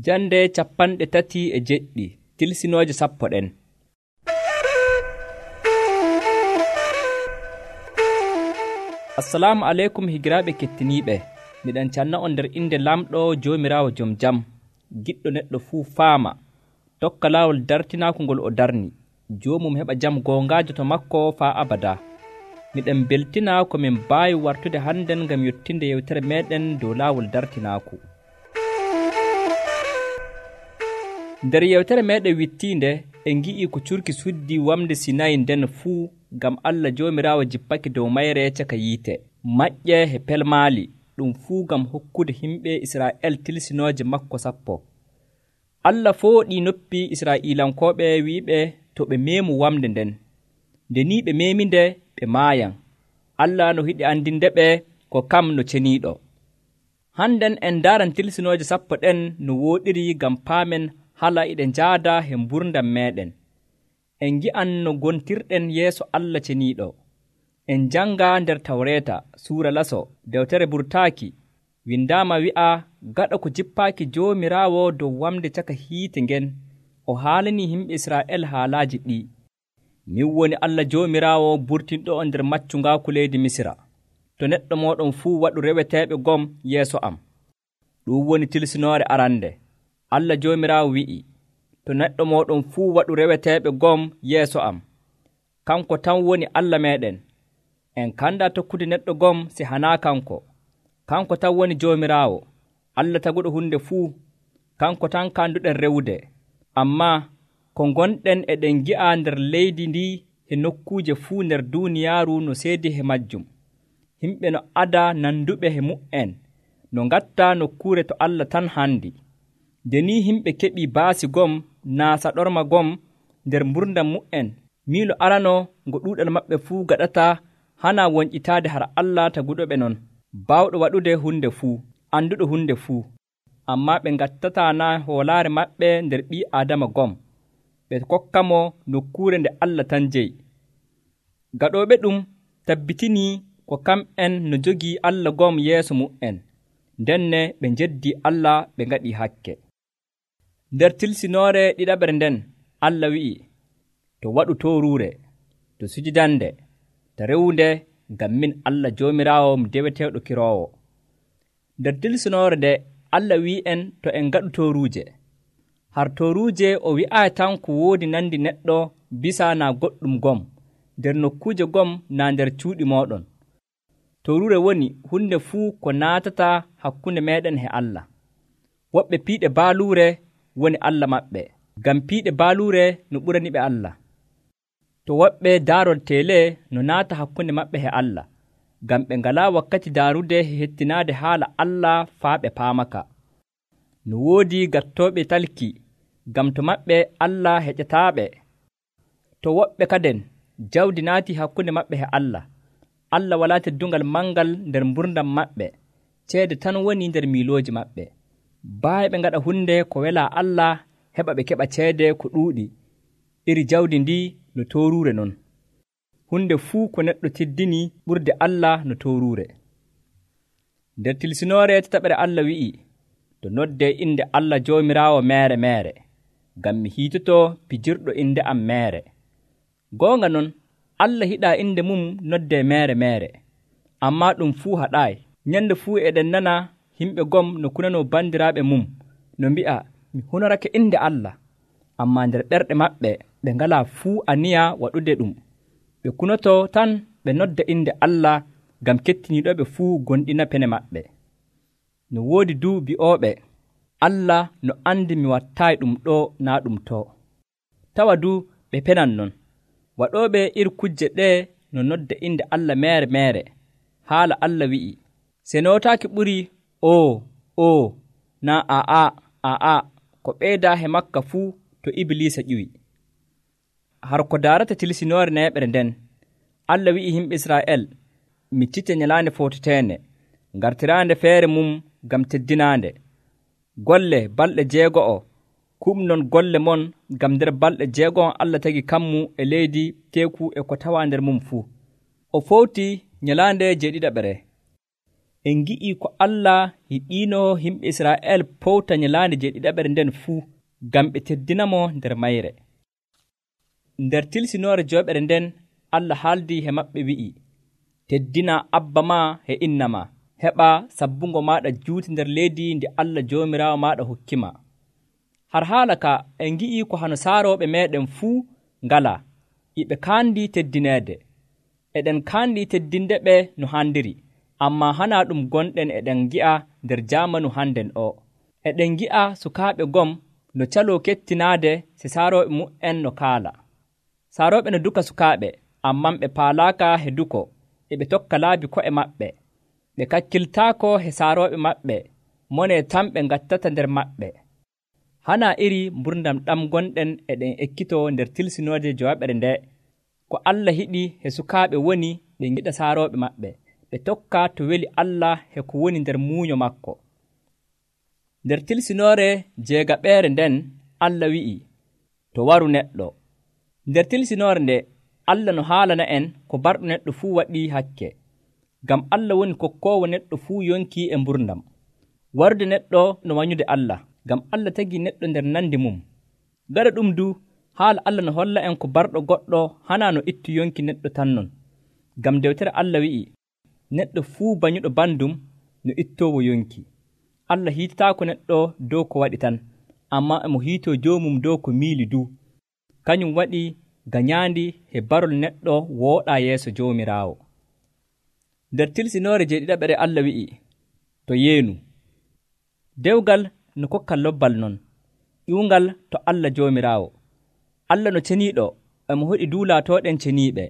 Jande 37 tilsinooje sappo ɗen. Assalamu aleykum higiraaɓe kettiniiɓe. Miɗen canna on nder inde lamɗo Joomiraawo jom jam, giɗɗo neɗɗo fuu faama, tokka laawol dartinaaku ngol o darni, joomum heɓa jam goongaajo to makko faa abada. Miɗen beltina ko min mbaawi wartude hannden ngam yottinde yewtere meeɗen dow laawol dartinaaku. Nder yewtere meeɗen wittiinde en ngi'i ko curki suddi wamde Sinayi nden fuu ngam Allah Joomiraawo jippake dow mayre caka yiite, maƴƴe he pelmaali, ɗum fuu ngam hokkude himɓe Israa'el tilsinooje makko 10. Allah fooɗii noppi Israa'iilankooɓe wi'iɓe to ɓe meemu wamde nden. Nde ni ɓe meeminde ɓe maayan. Allah no hiɗi andinde ɓe ko kam no ceniiɗo. Hannden en ndaaran tilsinooje 10 ɗen no wooɗiri ngam paamen hala iɗe njaada he mburdam meeɗen. En ngi'an no gontirɗen yeeso Allah ceniiɗo. En janga nder Tawreeta suura laso dewtere burtaaki windaama wi'a gaɗa ko jippaaki Joomiraawo dow wamde caka hiite ngen o haalanii yimɓe Israa'el haalaaji ɗi. Min woni Allah Joomiraawo burtinɗo on nder maccungaaku leydi Misira. To neɗɗo mooɗon fuu waɗu reweteeɓe gom yeeso am. Ɗum woni tilsinoore arande. Allah Joomiraawo wi'i, to neɗɗo mooɗon fuu waɗu reweteeɓe gom yeeso am. Kanko tan woni Allah meeɗen. En kanda tokkude neɗɗo gom si hanaa kanko. Kanko tan woni Joomiraawo, Allah taguɗo hunde fuu. Kanko tan kanduɗen rewude. Ammaa ko gonɗen eɗen gi'a nder leydi ndi e nokkuuje fuu nder duuniyaaru no seedi he majjum. Himɓe no ada nanduɓe he mu'en, no ngatta nokkuure to Allah tan handi. Nde ni himɓe keɓi baasi gom naa saɗorma gom nder mburdam mu'en, miilo arano ngo ɗuuɗal maɓɓe fuu gaɗata hana wonƴitaade har Allah taguɗoɓe non, baawɗo waɗude hunde fuu, anduɗo hunde fuu. Ammaa ɓe ngattataa na hoolaare maɓɓe nder ɓii Aadama gom, ɓe kokkamo nokkuure nde Allah tan jeyi. Gaɗooɓe ɗum tabbitinii ko kamɓen no jogii Allah gom yeeso mu'en, ndenne ɓe njeddii Allah ɓe ngaɗii hakke. Nder tilsinoore ɗiɗaɓere nden Allah wi'i, to waɗu tooruure, to sujudande, to rewunde, ngam min Allah Joomiraawo mi deweteeɗo kiroowo. Nder tilsinoore nde Allah wi'en to en ngaɗu tooruuje. Har tooruuje o wi'aayi tan ko woodi nandi neɗɗo bisa naa goɗɗum gom, nder nokkuuje gom naa nder cuuɗi mooɗon. Tooruure woni hunde fuu ko naatata hakkunde meeɗen he Allah. Woɓɓe piiɗe baaluure woni Allah maɓɓe, ngam piiɗe baaluure no ɓurani ɓe Allah. To woɓɓe daarol teele no naata hakkunde maɓɓe he Allah, ngam ɓe ngalaa wakkati daarude he hettinaade haala Allah faa ɓe paamaka. No woodi gattooɓe talki, ngam to maɓɓe Allah heƴataaɓe. To woɓɓe kaden jawdi naati hakkunde maɓɓe he Allah, Allah walaa teddungal mangal nder mburdam maɓɓe, ceede tan woni nder miilooji maɓɓe. Baayi ɓe ngaɗa hunde ko welaa Allah heɓa ɓe keɓa ceede ko ɗuuɗi, iri jawdi ndi no tooruure non. Hunde fuu ko neɗɗo teddini ɓurde Allah no tooruure. Nder tilsinoore tataɓere Allah wi'i, to noddee inde Allah Joomiraawo meere meere, ngam mi hiitotoo pijirɗo inde am meere. Goonga non, Allah hiɗaa inde mum noddee meere meere, ammaa ɗum fuu haɗaayi. Nyande fuu eɗen nana yimɓe gom no kunanoo bandiraaɓe mum, no mbi'a, mi hunorake inde Allah, ammaa nder ɓerɗe maɓɓe ɓe ngalaa fuu aniya waɗude ɗum. Ɓe kunotoo tan ɓe nodda inde Allah ngam kettiniiɗoɓe fuu gonɗina pene maɓɓe. No woodi du bi'ooɓe, Allah no andi mi wattaayi ɗum ɗo naa ɗum to. Tawa du ɓe penan non. Waɗooɓe iri kujje ɗee no nodda inde Allah meere meere. Haala Allah wi'i, se nootaaki ɓuri o naa aa ko ɓeydaa he makka fuu to Ibliisa ƴiwi. Har ko daarata tilsinoore neeɓere nden, Allah wi'i yimɓe Israa'el, miccite nyalaande footeteende, ngartiraande feere mum ngam teddinaande. Golle balɗe 6 kumnon golle mon ngam nder balɗe 6 Allah tagi kammu e leydi teeku e ko tawaa nder mum fuu. O fowti nyalaande 7. en ngi'ii ko Allah hiɗiino yimɓe Israa'el powta nyalaande jeeɗiɗaɓere nden fuu ngam ɓe teddinamo nder mayre. Nder tilsinoore jooɓere nden Allah haaldii he maɓɓe wi'i, teddina abba maa e inna maa, heɓa sabbungo maaɗa juuti nder leydi ndi Allah Joomiraawo maaɗa hokkima. Har haala ka en ngi'ii ko hano saarooɓe meeɗen fuu ngalaa, iɓe kaandi teddineede. Eɗen kaandi teddinde ɓe no handiri, ammaa hanaa ɗum gonɗen eɗen ngi'a nder jaamanu hannden o. Eɗen ngi'a sukaaɓe gom no caloo kettinaade se saarooɓe mu'en no kaala. Saarooɓe no duka sukaaɓe, ammaa ɓe paalaaka he duko, eɓe tokka laabi ko'e maɓɓe. Ɓe kakkiltaako he saarooɓe maɓɓe, monee tan ɓe ngattata nder maɓɓe. Hanaa iri mburdam ɗam gonɗen eɗen ekkitoo nder tilsinoode jooɓere nde, ko Allah hiɗi he sukaaɓe woni ɓe ngiɗa saarooɓe maɓɓe, ɓe tokka to weli Allah he ko woni nder muuño makko. Nder tilsinoore jeegaɓeere nden Allah wi'i, to waru neɗɗo. Nder tilsinoore nde Allah no haalana en ko barɗo neɗɗo fuu waɗii hakke, ngam Allah woni kokkoowo neɗɗo fuu yonki e mburdam. Warude neɗɗo no wanyude Allah, ngam Allah tagii neɗɗo nder nandi mum. Gaɗa ɗum du, haala Allah no holla en ko barɗo goɗɗo hanaa no ittu yonki neɗɗo tan non, ngam dewtere Allah wi'i, neɗɗo fuu banyuɗo bandum no ittoowo yonki. Allah hiitataako neɗɗo dow ko waɗi tan, ammaa emo hiitoo joomum dow ko miili du. Kañum waɗi gañaandi he barol neɗɗo wooɗaa yeeso Joomiraawo. Nder tilsinoore jeeɗiɗaɓere Allah wi'i, to yeenu. Dewgal no kokka lobbal non, ƴiwungal to Allah Joomiraawo. Allah no ceniiɗo, emo hoɗi duulaatooɗen ceniiɓe.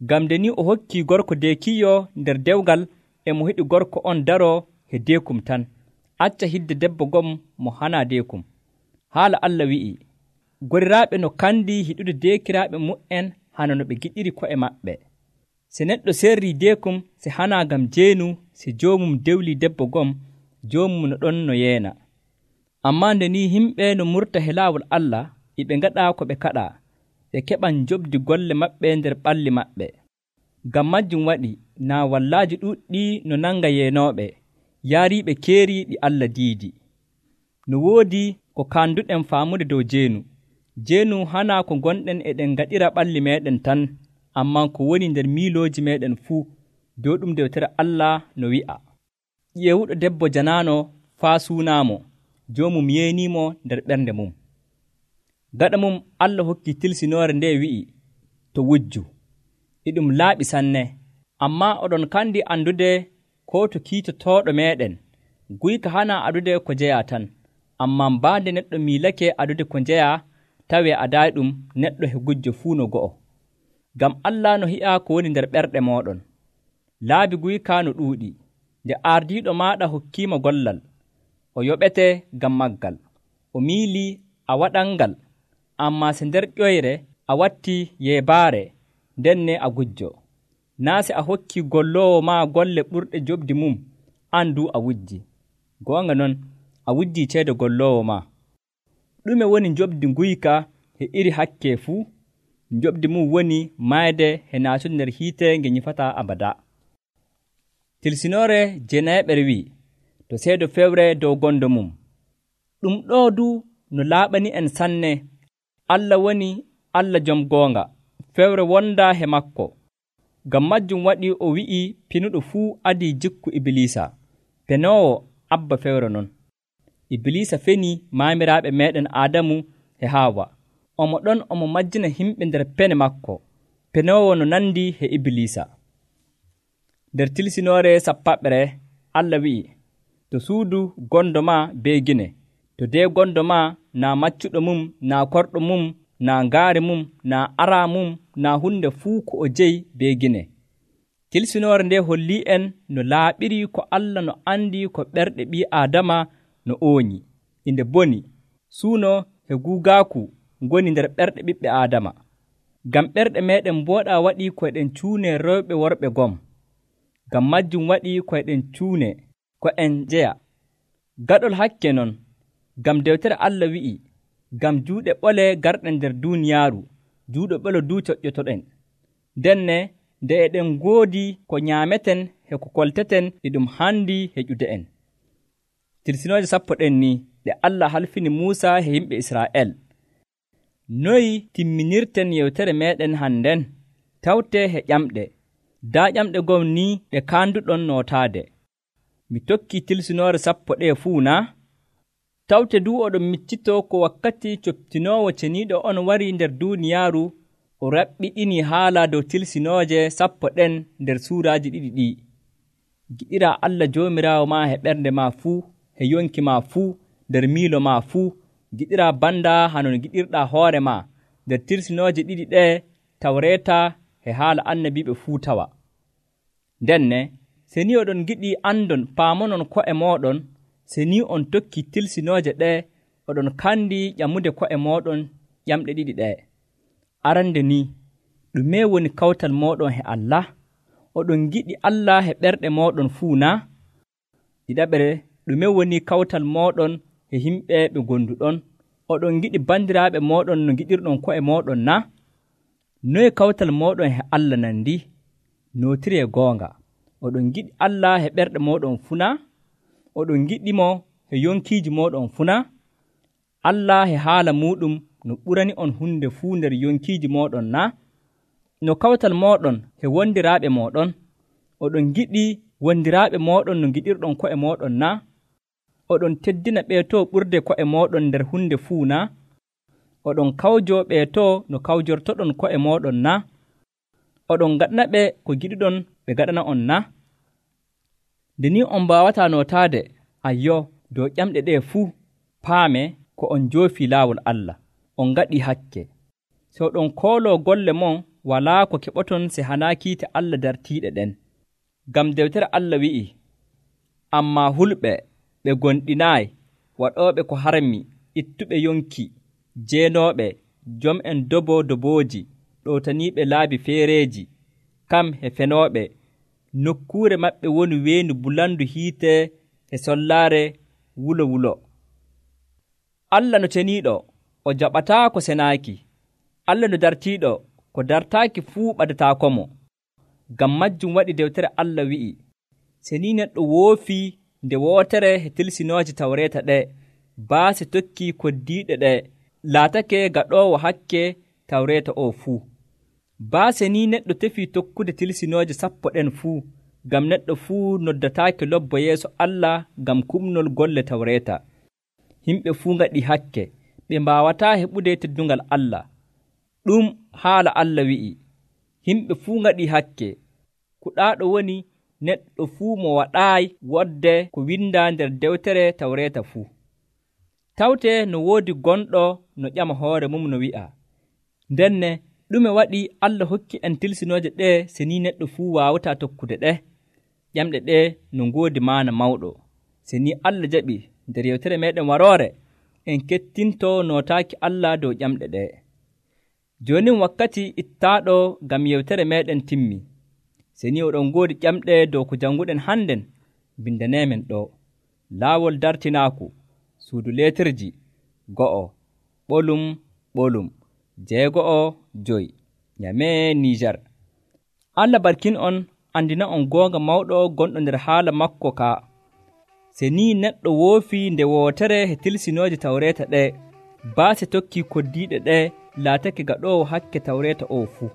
Ngam nde ni o hokkii gorko deekiiyo nder dewgal, emo hiɗi gorko on daroo he deekum tan, acca hidde debbo gom mo hanaa deekum. Haala Allah wi'i, goriraaɓe no kandi hiɗude deekiraaɓe mu'en hana no ɓe giɗiri ko'e maɓɓe. Se neɗɗo serrii deekum se hanaa ngam jeenu, se joomum dewlii debbo gom, joomum no ɗon no yeena. Ammaa nde ni yimɓe no murta he laawol Allah, iɓe ngaɗaa ko ɓe kaɗaa, ɓe keɓan jobdi golle maɓɓe nder ɓalli maɓɓe. Ngam majjum waɗi naa wallaaji ɗuuɗɗi no nanga yeenooɓe, yaariiɓe keeri ɗi Allah diidi. No woodi ko kaanduɗen faamude dow jeenu. Jeenu hanaa ko gonɗen eɗen ngaɗira ɓalli meeɗen tan, ammaa ko woni nder miilooji meeɗen fuu, dow ɗum dewtere Allah no wi'a, ƴeewuɗo debbo janaano faa suunaamo, joomum yeeniimo nder ɓernde mum. Gaɗa mum Allah hokki tilsinoore nde wi'i, to wujju. E ɗum laaɓi sanne, ammaa oɗon kandi andude ko to kiitotooɗo meeɗen. Guyka hanaa adude ko jeyaa tan, ammaa mbaande neɗɗo miilake adude ko njeyaa, tawee adaayi ɗum neɗɗo he gujjo fuu no go'o. Ngam Allah no hi'a ko woni nder ɓerɗe mooɗon. Laabi guyka no ɗuuɗi, nde ardiiɗo maaɗa hokkiima gollal, o yoɓete ngam maggal. O miilii a waɗangal, ammaa se nder ƴoyre a watti yeebaare, ndenne a gujjo. Naa se a hokkii golloowo maa golle ɓurɗe jobdi mum, an du a wujji. Goonga non, a wujjii ceede golloowo maa. Ɗume woni jobdi guyka he iri hakke fuu? Jobdi mum woni maayde he naatude nder hiite nge nyifataa abada. Tilsinoore jeenayeɓere wi'i, to seedo fewre dow gondo mum. Ɗum ɗo du no laaɓani en sanne. Allah woni Allah jom goonga, fewre wonda he makko. Ngam majjum waɗi o wi'i pinuɗo fuu adii jikku Ibilisa, penoowo abba fewre non. Ibilisa feni maamiraaɓe meeɗen Aadamu e Haawa. Omo ɗon omo majjina himɓe nder pene makko, penoowo no nandi he Ibilisa. Nder tilsinoore sappaɓere Allah wi'i, to suudu gondo ma bee gine, to dee gondo ma naa maccuɗo mum, naa korɗo mum, naa ngaari mum, naa araa mum, naa hunde fuu ko o jeyi bee gine. Tilsinoore nde hollii en no laaɓiri ko Allah no andi ko ɓerɗe ɓii Aadama no ooñi, inde boni, suuno e guugaaku ngoni nder ɓerɗe ɓiɓɓe Aadama. Ngam ɓerɗe meeɗen mbooɗaa waɗi ko eɗen cuune rewɓe worɓe gom. Ngam majjum waɗi ko eɗen cuune ko en jeya. Gaɗol hakke non, ngam dewtere Allah wi'i, ngam juuɗe ɓole garɗen nder duuniyaaru, juuɗe ɓole du coƴƴotoɗen. Ndenne nde eɗen ngoodi ko nyaameten he ko kolteten e ɗum handi heƴude'en. Tilsinooje 10 ɗen ni ɗe Allah halfini Muusa he yimɓe Israa'el. Noy timminirten yewtere meɗen hannden? Tawte he ƴamɗe. Daa ƴamɗe gom ni ɗe kaanduɗon nootaade. Mi tokkii tilsinoore 10 ɗe fuu na? Tawte du oɗon miccitoo ko wakkati coptinoowo ceniiɗo on wari nder duuniyaaru o raɓɓiɗini haala dow tilsinooje 10 ɗen nder suuraaji ɗiɗi ɗi. Giɗiraa Allah Joomiraawo maa he ɓernde maa fuu, he yonki maa fuu, nder miilo maa fuu. Giɗiraa banda hano no giɗirɗaa hoore maa. Nder tilsinooje ɗiɗi ɗe Tawreeta he haala annabiiɓe fuu tawa. Ndenne se ni oɗon giɗi andon paamonon ko'e mooɗon, se ni on tokki tilsinooje ɗe oɗon kandi ƴamude ko'e mooɗon ƴamɗe ɗiɗi ɗe. Arande ni ɗume woni kawtal mooɗon he Allah? Oɗon giɗi Allah he ɓerɗe mooɗon fuu na? Ɗiɗaɓre, ɗume woni kawtal mooɗon he himɓe ɓe gonduɗon? Oɗon giɗi bandiraaɓe mooɗon no giɗirɗon ko'e mooɗon na? Noye kawtal mooɗon he Allah nandi? Nootiree goonga. Oɗon giɗi Allah he ɓerɗe mooɗon fuu na? Oɗon giɗimo he yonkiiji mooɗon fuu na? Allah he haala muɗum no ɓurani on hunde fuu nder yonkiiji mooɗon na? No kawtal mooɗon he wondiraaɓe mooɗon? Oɗon giɗi wondiraaɓe mooɗon no giɗirɗon ko'e mooɗon na? Oɗon teddina ɓeetoo ɓurde ko'e mooɗon nder hunde fuu na? Oɗon kawjo ɓeetoo no kawjortoɗon ko'e mooɗon na? Oɗon gaɗana ɓe ko giɗuɗon ɓe gaɗana on na? Nde ni on mbaawataa nootaade ayyo dow ƴamɗe ɗe fuu, paame ko on njoofii laawol Allah, on ngaɗii hakke. So oɗon kooloo golle mon walaa ko keɓoton se hanaa kiite Allah dartiiɗe ɗen. Ngam dewtere Allah wi'i, ammaa hulɓe ɓe gonɗinaayi, waɗooɓe ko harmi, ittuɓe yonki, jeenooɓe, jom'en dobooji, ɗowtaniiɓe laabi feereeji, kam he fenooɓe, nokkuure maɓɓe woni weendu bulandu hiite e sollaare wulo. Allah no ceniiɗo, o jaɓataa ko senaaki. Allah no dartiiɗo, ko dartaaki fuu ɓadataakomo. Ngam majjum waɗi dewtere Allah wi'i, se ni neɗɗo woofii nde wootere he tilsinooje Tawreeta ɗe, baase tokkii koddiiɗe ɗe, laatake gaɗoowo hakke Tawreeta o fuu. Baase ni neɗɗo tefii tokkude tilsinooje 10 ɗen fuu, ngam neɗɗo fuu noddataake lobbo yeeso Allah ngam kumnol golle Tawreeta. Himɓe fuu ngaɗi hakke, ɓe mbaawataa heɓude teddungal Allah. Ɗum haala Allah wi'i, himɓe fuu ngaɗi hakke. Kuɗaaɗo woni neɗɗo fuu mo waɗaayi wodde ko windaa nder dewtere Tawreeta fuu. Tawte no woodi gonɗo no ƴama hoore mum no wi'a, ndenne ɗume waɗi Allah hokki en tilsinooje ɗe se ni neɗɗo fuu waawataa tokkude ɗe? Ƴamɗe ɗe no ngoodi maana mawɗo. Se ni Allah jaɓi nder yewtere meɗen waroore, en kettintoo nootaaki Allah dow ƴamɗe ɗe. Joonin wakkati ittaaɗo ngam yewtere meɗen timmi. Se ni oɗon ngoodi ƴamɗe dow ko jannguɗen hannden, bindaneemen ɗo. Laawol dartinaaku, suudu leetirji, 2, ɓolum, 6, Nyame Nijar. Allah barkin on, andina on goonga mawɗo gonɗo nder haala makko ka. Se ni neɗɗo woofii nde wootere he tilsinooje Tawreeta ɗe, baase tokkii koddiiɗe ɗe, laatake gaɗoowo hakke Tawreeta o fuu.